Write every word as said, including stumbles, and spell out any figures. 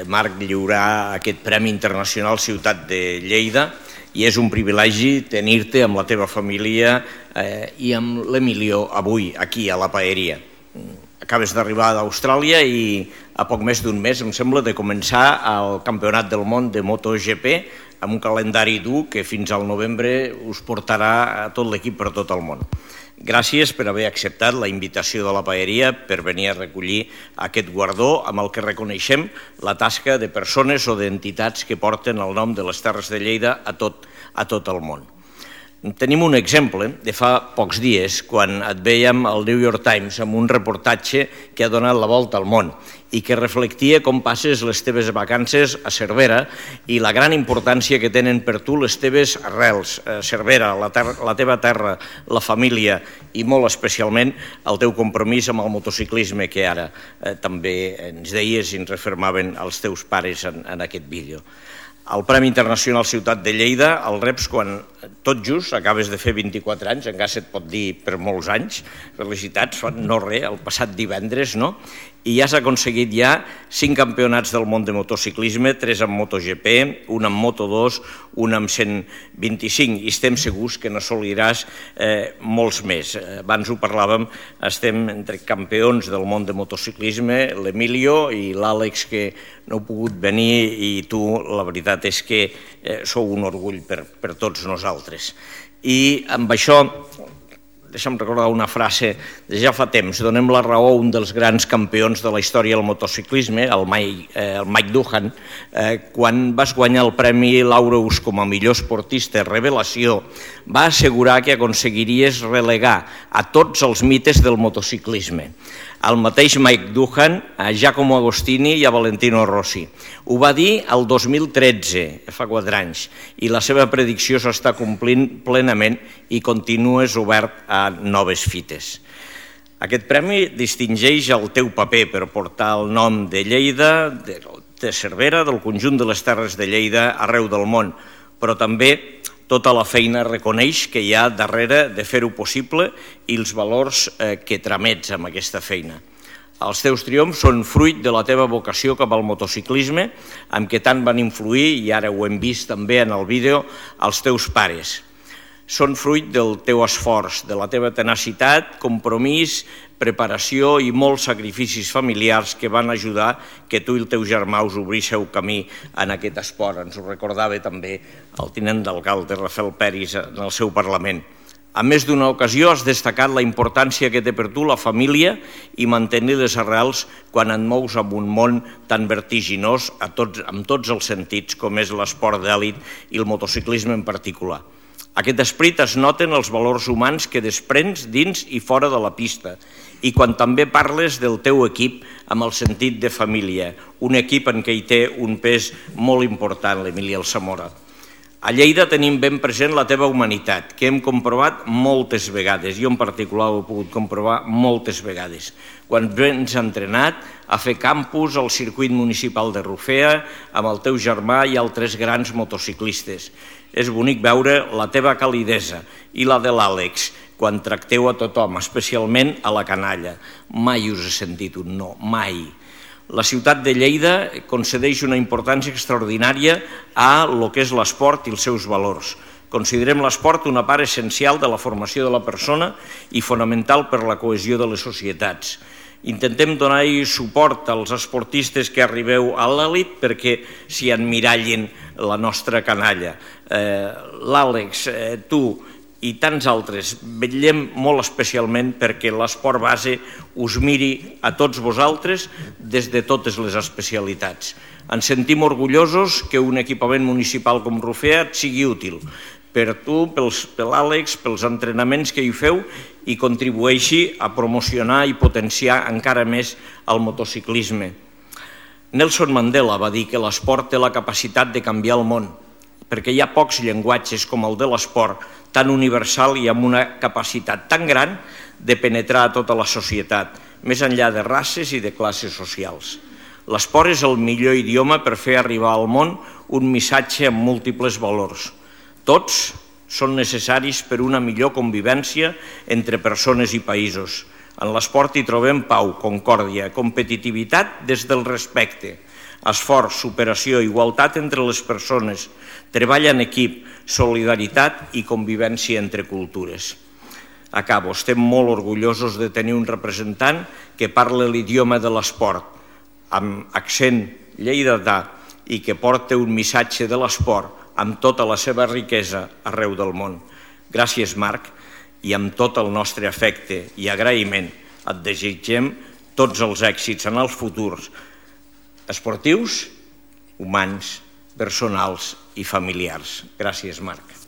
Marc, lliurar aquest Premi Internacional Ciutat de Lleida i és un privilegi tenir-te amb la teva família i amb l'Emilio avui aquí a la Paeria. Acabes d'arribar d'Austràlia i a poc més d'un mes, em sembla, de començar el Campionat del Món de MotoGP amb un calendari dur que fins al novembre us portarà a tot l'equip per tot el món. Gràcies per haver acceptat la invitació de la Paeria per venir a recollir aquest guardó amb el que reconeixem la tasca de persones o d'entitats que porten el nom de les Terres de Lleida a tot, a tot el món. Tenim un exemple de fa pocs dies, quan et veiem al New York Times amb un reportatge que ha donat la volta al món i que reflectia com passes les teves vacances a Cervera i la gran importància que tenen per tu les teves arrels, Cervera, la, terra, la teva terra, la família i molt especialment el teu compromís amb el motociclisme que ara eh, també ens deies i ens refermaven els teus pares en, en aquest vídeo. El Premi Internacional Ciutat de Lleida el reps quan tot just acabes de fer vint-i-quatre anys, encara se't pot dir per molts anys, felicitats, no res, el passat divendres, no? I ja has aconseguit ja cinc campionats del món de motociclisme, tres amb MotoGP, un amb Moto dos, un amb cent vint-i-cinc, i estem segurs que n'assoliràs eh, molts més. Abans ho parlàvem, estem entre campions del món de motociclisme, l'Emilio i l'Àlex, que no heu pogut venir, i tu, la veritat és que eh, sou un orgull per, per tots nosaltres. I amb això, deixa'm recordar una frase de ja fa temps, donem la raó a un dels grans campions de la història del motociclisme, el Mike, eh, el Mike Doohan, eh, quan vas guanyar el Premi Laureus com a millor esportista revelació, va assegurar que aconseguiries relegar a tots els mites del motociclisme. El mateix Mike Doohan, a Giacomo Agostini i a Valentino Rossi. Ho va dir el dos mil tretze, fa quatre anys, i la seva predicció s'està complint plenament i continues obert a noves fites. Aquest premi distingeix el teu paper per portar el nom de Lleida, de Cervera, del conjunt de les Terres de Lleida arreu del món, però també tota la feina reconeix que hi ha darrere de fer-ho possible i els valors que tramets amb aquesta feina. Els teus triomfs són fruit de la teva vocació cap al motociclisme, amb què tant van influir, i ara ho hem vist també en el vídeo, els teus pares. Són fruit del teu esforç, de la teva tenacitat, compromís, preparació i molts sacrificis familiars que van ajudar que tu i el teu germà us obríssiu camí en aquest esport. Ens ho recordava també el tinent d'alcalde Rafael Peris en el seu Parlament. A més d'una ocasió has destacat la importància que té per tu la família i mantenir les arrels quan et mous en un món tan vertiginós amb tots els sentits com és l'esport d'èlit i el motociclisme en particular. Aquest esperit es noten els valors humans que desprens dins i fora de la pista i quan també parles del teu equip amb el sentit de família, un equip en què hi té un pes molt important, l'Emili Alsamora. A Lleida tenim ben present la teva humanitat, que hem comprovat moltes vegades, jo en particular ho he pogut comprovar moltes vegades, quan vens entrenat a fer campus al circuit municipal de Rufea amb el teu germà i altres grans motociclistes. És bonic veure la teva calidesa i la de l'Àlex quan tracteu a tothom, especialment a la canalla. Mai us he sentit un no, mai. La ciutat de Lleida concedeix una importància extraordinària a lo que és l'esport i els seus valors. Considerem l'esport una part essencial de la formació de la persona i fonamental per la cohesió de les societats. Intentem donar-hi suport als esportistes que arribeu a l'elit perquè s'hi emmirallin la nostra canalla. L'Àlex, tu i tants altres, vetllem molt especialment perquè l'esport base us miri a tots vosaltres des de totes les especialitats. Ens sentim orgullosos que un equipament municipal com Rufea et sigui útil per tu, per l'Àlex, pels entrenaments que hi feu i contribueixi a promocionar i potenciar encara més el motociclisme. Nelson Mandela va dir que l'esport té la capacitat de canviar el món, perquè hi ha pocs llenguatges com el de l'esport, tan universal i amb una capacitat tan gran de penetrar a tota la societat, més enllà de races i de classes socials. L'esport és el millor idioma per fer arribar al món un missatge amb múltiples valors. Tots són necessaris per una millor convivència entre persones i països. En l'esport hi trobem pau, concòrdia, competitivitat des del respecte. esforç, superació, igualtat entre les persones, treball en equip, solidaritat i convivència entre cultures. Acabo, estem molt orgullosos de tenir un representant que parla l'idioma de l'esport, amb accent lleidatà i que porta un missatge de l'esport amb tota la seva riquesa arreu del món. Gràcies, Marc, i amb tot el nostre afecte i agraïment et desitgem tots els èxits en els futurs esportius, humans, personals i familiars. Gràcies, Marc.